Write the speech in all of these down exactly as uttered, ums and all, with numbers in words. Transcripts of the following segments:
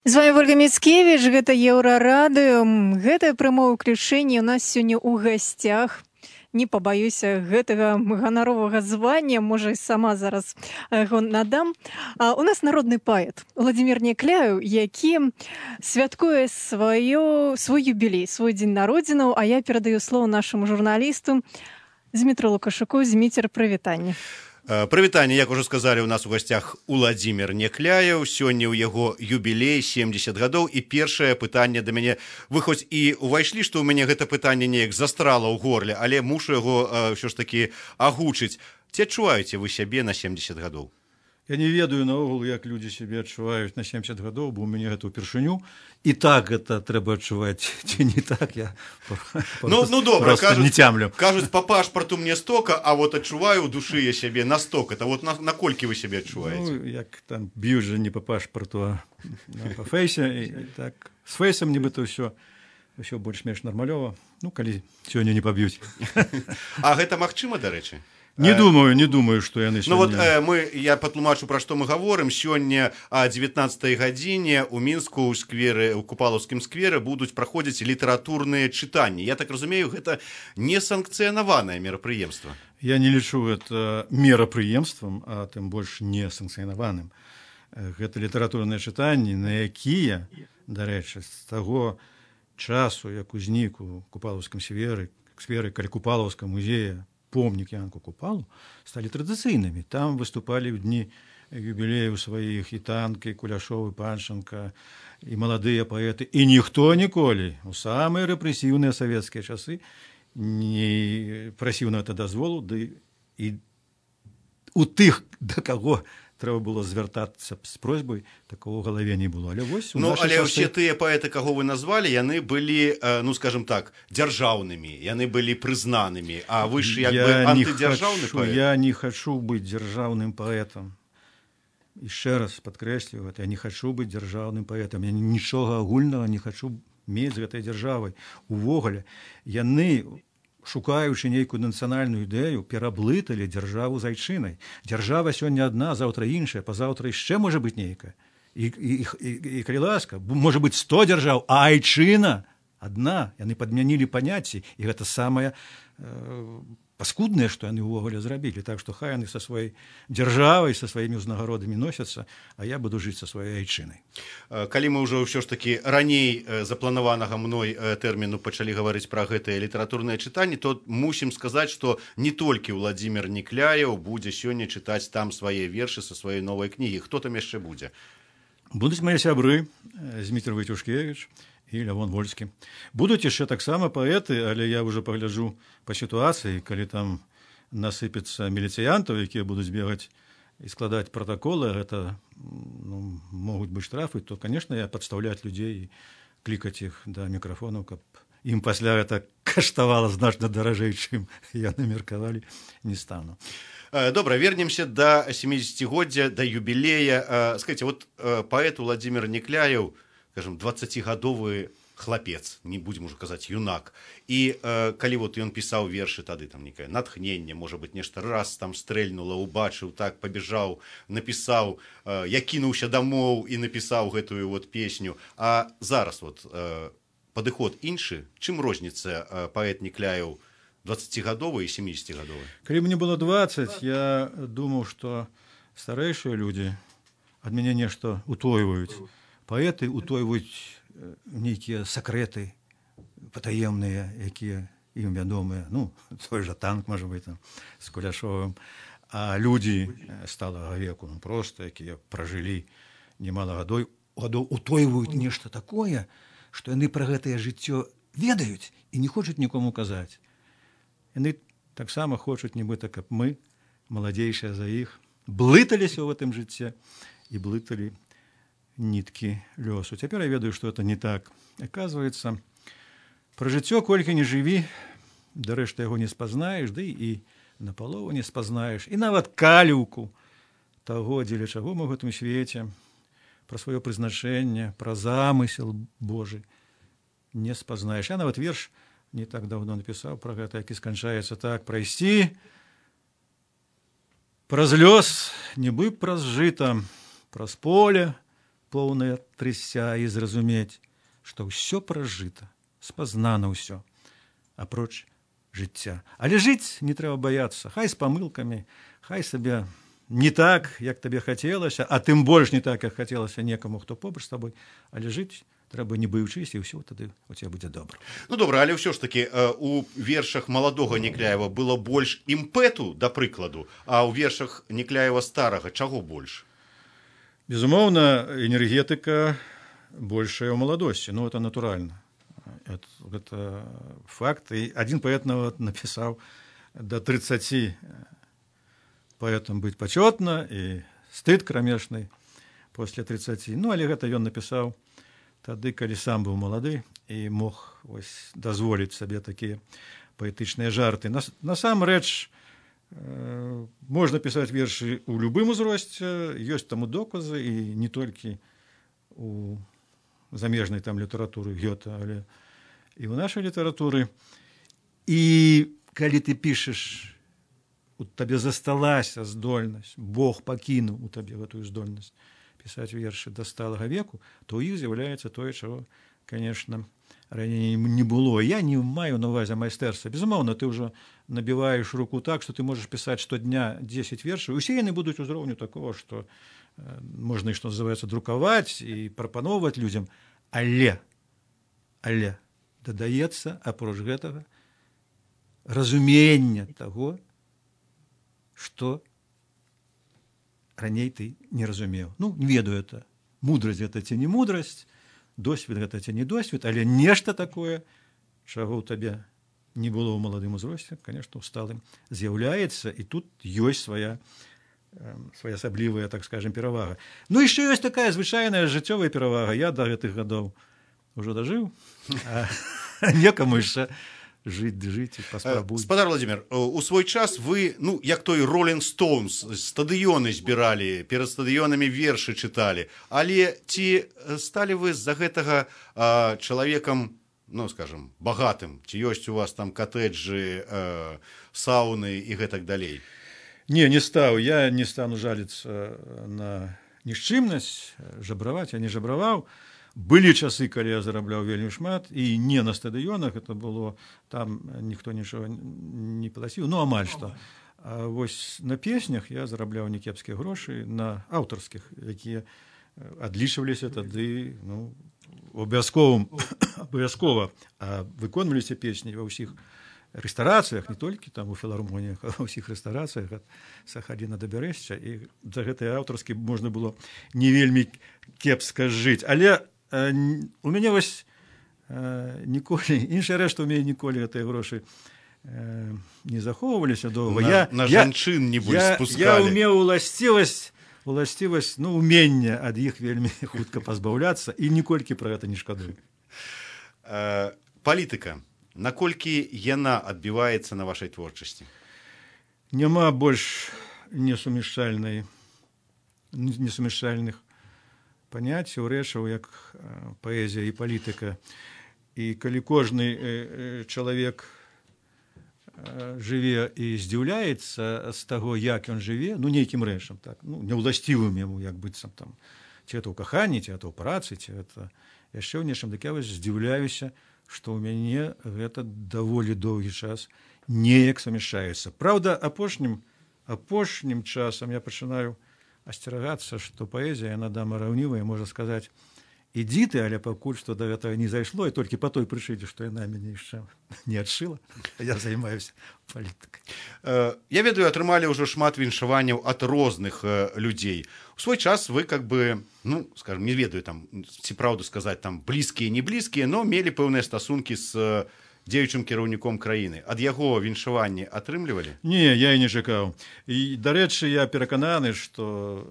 З вами Ольга Міцкевіч, гэта Еўрарадыё. Гэтае прамое ўключэнне ў нас сёння ў гасцях. Не пабаюся гэтага ганаровага звання, можа, і сама зараз яго надам. А, у нас народны паэт Уладзімір Някляеў, які святкуе сваё, свой юбілей, свой дзень народзінаў, а я перадаю слово нашаму журналісту Змітру Лукашуку. Зміцер, прывітанне. Прывітанне, як ужо сказалі, у нас у гасцях Уладзімір Някляеў. Сёння ў яго юбілей семьдесят гадоў. І першае пытанне да мяне. Вы хоць і ўвайшлі, што ў мяне гэта пытанне неяк застрала ў горле, але мушу яго ўсё ж такі агучыць. Ці адчуваеце вы сябе на семьдесят гадоў? Я не ведаю наогул, як людзі сябе адчуваюць на семьдесят гадоў, бо ў мяне гэта ўпершыню. І так гэта трэба адчуваць, ці не так, я ну, ну, добра, кажуць, не цямлю. Кажуць, па пашпарту мне стока, а вот адчуваю ў душы я сябе на сток. Это вот на, наколькі вы сябе адчуваеце? Ну, як там б'юць жа не па пашпарту, а па фейсе. І, і так, з фейсам нібыта ўсё, ўсё больш-менш нармалёва. Ну, калі сёння не паб'юць. А гэта магчыма, дарэчы? Не думаю, не думаю, што яны сёння... Ну вот э, мы, я патлумачу, пра што мы гаворым. Сёння о дзевятнаццатай гадзіне ў Мінску ў скверы, у Купалаўскім скверы будуць праходзіць літаратурныя чытанні. Я так разумею, гэта несанкцыянаванае мерапрыемства. Я не лічу гэта мерапрыемствам, а тым больш несанкцыянаваным. Гэта літаратурныя чытанні, на якія, дарэчы, з таго часу, як узнік у Купалаўскім скверы, скверы каля Купалаўскага музея, помнік Янку Купалу, сталі традыцыйнымі. Там выступалі ў дні юбілею сваіх і Танкі, і Куляшов, і Панченка, і маладыя паэты. І ніхто ніколі у самыя рэпрэсіўныя савецкія часы не прасіў на гэта дазволу, ды і у тых, да каго трэба было звяртацца з просьбай, такого ў галаве не было. Але вось у ну, але часы... ўсе тыя паэты, каго вы назвалі, яны былі, ну, скажем так, дзяржаўнымі, яны былі прызнанымі, а вы ж як бы антыдзяржаўны паэт. Я не хачу быць дзяржаўным паэтам. Яшчэ раз падкрэслю гэта, я не хачу быць дзяржаўным паэтам, я нічога агульнага не хачу мець з гэтай дзяржавай. Увогуле, яны... шукаючы нейкую нацыянальную ідэю, пераблыталі дзяржаву з айчынай. Дзяржава сёння адна, заўтра іншая, пазаўтра яшчэ можа быць нейкая. І, і, і, і калі ласка, можа быць сто дзяржаў, а айчына адна. Яны падмянілі паняцці, і гэта самае э, паскуднае, што яны ўвогуле зрабілі. Так што хай яны са сваёй дзяржавай, са сваімі ўзнагародамі носяцца, а я буду жыць са сваёй айчынай. Калі мы ўжо ўсё ж такі раней запланаванага мной тэрміну пачалі гаварыць пра гэтыя літаратурныя чытанні, то мусім сказаць, што не толькі Уладзімір Някляеў будзе сёння чытаць там свае вершы са сваёй новай кнігі. Хто там яшчэ будзе? Будуць мае сябры Зміцер Войцюшкевіч і Лявон Вольскі. Будуць яшчэ таксама паэты, але я ўжо пагляджу па сітуацыі, калі там насыпецца міліцыянтаў, якія будуць бегаць і складаць пратаколы, гэта ну, могуць быць штрафы, то, конечно, я падстаўляць людзей і клікаць іх да мікрафонаў, каб ім пасля гэта каштавала значна даражэй, чым яны меркавалі, не стану. Добра, вернемся да семидесятигоддзя, да юбілея. Скажите, вот паэт Уладзімір Някляеў, скажем, двадцацігадовы хлапец, не будем уже казаць юнак. І э, калі вот ён пісаў вершы тады, там некае натхненне, можа быць, нешта раз там стрэльнула, убачыў, так пабежаў, напісаў, э, я кінуўся дамоў і напісаў гэтую вот песню. А зараз вот э, падыход іншы, чым розніца э, паэт Някляеў двадцацігадовы і семидесятигадовы? Калі мне было двадцать, я думаў, што старэйшыя людзі ад мяне нешта утойваюць. Паэты утойваюць нейкія сакрэты патаемныя, якія ім вядомыя. Ну, той жа Танк, можа быць, там, з Куляшовым. А людзі сталага веку, ну, проста, якія пражылі немала гадоў, гадоў утойваюць нешта такое, што яны пра гэтае жыццё ведаюць і не хочуць нікому казаць. Яны таксама хочуць, нібыта, каб мы, маладзейшыя за іх, блыталіся ў гэтым жыцці і блыталі ніткі лёсу. Цяпер я ведаю, што это не так. Аказваецца, пра жыццё колькі не жыві, дарэшты яго не спазнаеш, ды і напалову не спазнаеш. І нават каліўку таго, дзеля чаго мы ў гэтым свеце, пра сваё прызначэнне, пра замысел Божы не спазнаеш. Я нават верш не так даўно напісаў пра гэта, які сканчаецца так: прайсці праз лёс, нібы праз жыта, праз поле, поўнае трыся і зразумець, што ўсё пражыта, спазнана ўсё, апроч жыцця. Але жыць не трэба баяцца, хай з памылкамі, хай сабе не так, як табе хацелася, а тым больш не так, як хацелася некаму, хто побач з табой, але жыць трэба не баючыся, і ўсё тады у цябе будзе добра. Ну добра, але ўсё ж такі у вершах маладога Некляева было больш імпэту, да прыкладу, а ў вершах Некляева старага чаго больш? Безумоўна, энергетыка большая ў маладосці, ну это натуральна. Это, это факт. І адзін паэт нават напісаў да трыццаці паэтам быць пачётна і стыд крамешны пасля трыццаці. Ну, але гэта ён напісаў тады, калі сам быў малады і мог ось дазволіць сабе такія паэтычныя жарты. Насамрэч, э, можна пісаць вершы ў любым узросце, ёсць таму доказы, і не толькі у замежнай там літаратуры Гёта, але і ў нашай літаратуры. І калі ты пішаш, у табе засталася здольнасць, Бог пакінуў у табе гэтую здольнасць пісаць вершы да сталага веку, то ў іх з'яўляецца тое, чаго, конечно, раней не было. Я не маю на ўвазе майстэрства. Безумоўна, ты ўжо набіваеш руку так, што ты можаш пісаць штодня дзесяць вершаў, усе яны будуць узроўню такого, што э, можна, што называецца, друкаваць і прапаноўваць людзям, але, але дадаецца, апроч гэтага, разумення таго, што раней ты не разумеў. Ну, не ведаю это. Мудрасць гэта ці не мудрасць, досвед гэта ці не досвед, але нешта такое, чаго ў табе не было ў маладым узросце, конечно, ў сталым з'яўляецца, і тут ёсць свая, э, своеасаблівая, так скажем, перавага. Ну, яшчэ ёсць такая звычайная жыццёвая перавага. Я да гэтых гадоў ужо дажыў, а некаму яшчэ жыць, жыць, паспрабуй. Спадар Владимир, у свой час вы, ну, як той Rolling Stones, стадыёны збіралі, перад стадыёнамі вершы чыталі, але ці сталі вы з-за гэтага а, чалавекам, ну, скажем, багатым? Ці ёсць у вас там катэджы, а, сауны і гэтак далей? Не, не стаў. Я не стану жаліцца на нішчымнасць, жабраваць, я не жабраваў. Былі часы, калі я зарабляў вельмі шмат, і не на стадыёнах, это было, там ніхто нічога не плаціў, ну, амаль што. А вось на песнях я зарабляў некепскія грошы, на аўтарскіх, якія адлічваліся тады, ну, абавязковым, абавязкова выконваліся песні ва ўсіх рэстарацыях, не толькі там у філармоніях, а ва ўсіх рэстарацыях ад Сахаліна да Бярэшча, і за гэтыя аўтарскі можна было не вельмі кепска жыць. Але э, у мяне вось э, ніколі, іншая рэч, што ў мяне ніколі гэтыя грошы э, не захоўваліся доўга. На, я, на я, жанчын не больш я, спускалі. Я ўмеў уласцівасць, уласцівасць, ну, умення ад іх вельмі хутка пазбаўляцца, і ніколькі пра гэта не шкадую. Э, палітыка. Наколькі яна адбіваецца на вашай творчасці? Няма больш несумяшчальнай, несумяшчальных паняццяў, рэчаў, як паэзія і палітыка. І калі кожны чалавек жыве і здзіўляецца з таго, як ён жыве, ну, нейкім рэчам, так, ну, няўласцівым яму, як быццам там, ці это ў каханні, ці это ў працы, ці это яшчэ ў нечым, так я вось здзіўляюся, што ў мяне гэта даволі доўгі час неяк сумяшчаецца. Праўда, апошнім, апошнім часам я пачынаю асцерагацца, што паэзія, яна дама раўнівая, можа сказаць, ідзі ты, але пакуль што да гэтага не зайшло, і толькі па той прычыне, што яна мяне яшчэ не адшыла, я займаюся палітыкай. Я ведаю, атрымалі ўжо шмат віншаванняў ад розных людзей. У свой час вы, как бы, ну, скажем, не ведаю, там, ці праўду сказаць, там, блізкія, не блізкія, но мелі пэўныя стасункі з дзеючым кіраўніком краіны. Ад яго віншаванні атрымлівалі? Не, я і не чакаў. І, дарэчы, я перакананы, што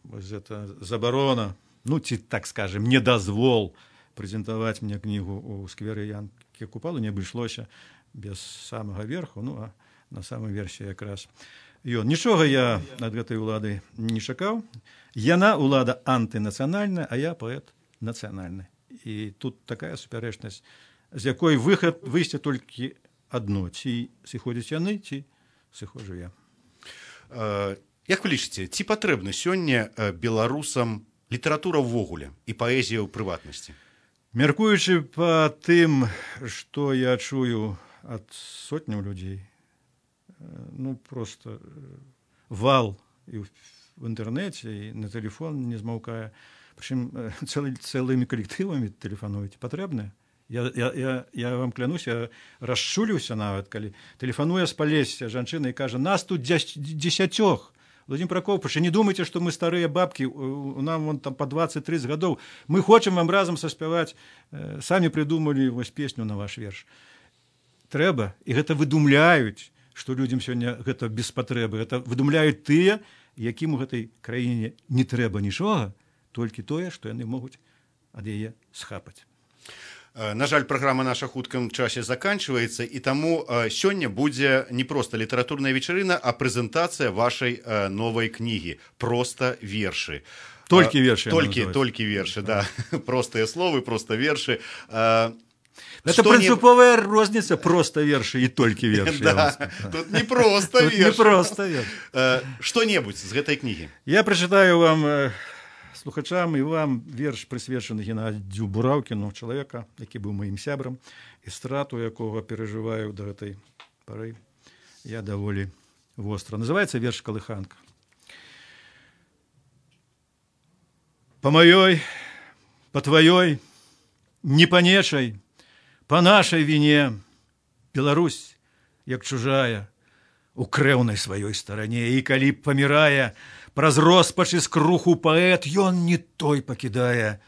гэта забарона, ну, ці, так скажем, не дазвол прэзентаваць мне кнігу ў скверы Янкі Купалы не абышлося без самага верху, ну, а на самой версе якраз ён. Нічога я ад гэтай улады не чакаў. Яна улада антынацыянальная, а я паэт нацыянальны. І тут такая супярэчнасць, з якой выхад, выйсце толькі адно. Ці сыходзяць яны, ці сыходжу я. Як вы лічыце, ці патрэбны сёння беларусам літаратура ўвогуле і паэзія ў прыватнасці? Мяркуючы па тым, што я чую ад сотняў людзей, ну, просто вал і в інтэрнэце, і на тэлефон не змаўкае. Прычым цэлы, цэлымі калектывамі тэлефануюць. Патрэбна? Я, я, я, я вам клянусь, я расчуліўся нават, калі тэлефануе з Палесся жанчына і кажа, нас тут дзесяцёх. Владимир Прокопович, не думайте, что мы старые бабки, нам вон там по двадцать тридцать годов. Мы хотим вам разом соспевать, сами придумали вось песню на ваш верш. Трэба, и гэта выдумляюць, что людям сегодня гэта без патрэбы. Гэта выдумляюць тыя, якім у гэтай краіне не трэба нічога, толькі тое, што яны могуць ад яе схапаць. На жаль, праграма наша хуткім часе заканчваецца, і таму сёння будзе не проста літаратурная вечарына, а прэзентацыя вашай новай кнігі «Проста вершы». Толькі вершы. Толькі, толькі вершы, да. Простыя словы, проста вершы. Это принциповая розница, просто верши и только верши. Да, тут не просто верши. Не просто верши. Что-нибудь з гэтай кнігі. Я прочитаю вам, слухачам, і вам верш, присвячений Геннадію Бураўкіну, чоловіка, який був моїм сябром, і страту якого переживаю до этой пори я доволі востро. Називається верш «Колиханка». По моей, по твоей, не по нечай, по нашей вине Беларусь, як чужая, у крэўнай сваёй старане, і калі памірае, праз роспач і скруху паэт, ён не той пакідае,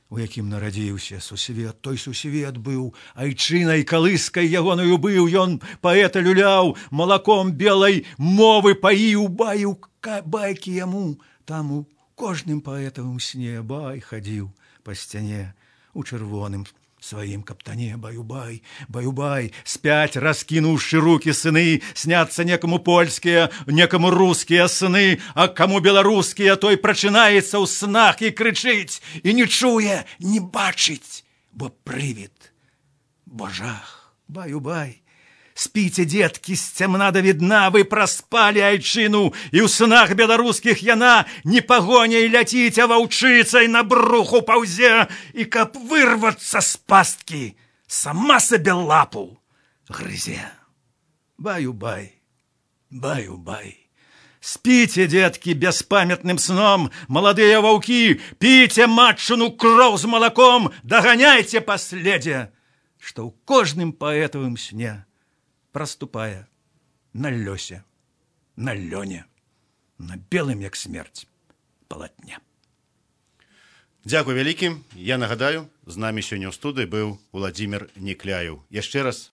у якім нарадзіўся сусвет. Той сусвет быў айчынай калыскай ягонаю быў, ён паэта люляў, малаком белай мовы паіў, баіў байкі яму, там у кожным паэтавым сне бай хадзіў па сцяне у чырвоным своим каптане. Баю-бай, баю-бай, спять раскинувши руки сыны, снятся некому польские, некому русские сны, а кому белорусские, той прочинается у снах и кричить, и не чуе, не бачить, бо привид, бо жах. Баю-бай, спите, детки, с темна до видна, вы проспали айчину, и у снах белорусских яна не погоней летить, а ваўчицей на бруху паузе, и каб вырваться с пастки, сама себе лапу грызе. Баю-бай, баю-бай. Спите, детки, беспамятным сном, молодые ваўки, пейте матчину кроў з молоком, догоняйте последе, что у кожным поэтовым сне проступая на лёсе, на лёне, на белым, як смерць, палатне. Дзякуй вялікі. Я нагадаю, з намі сёння ў студыі быў Уладзімір Нікляеў. Яшчэ раз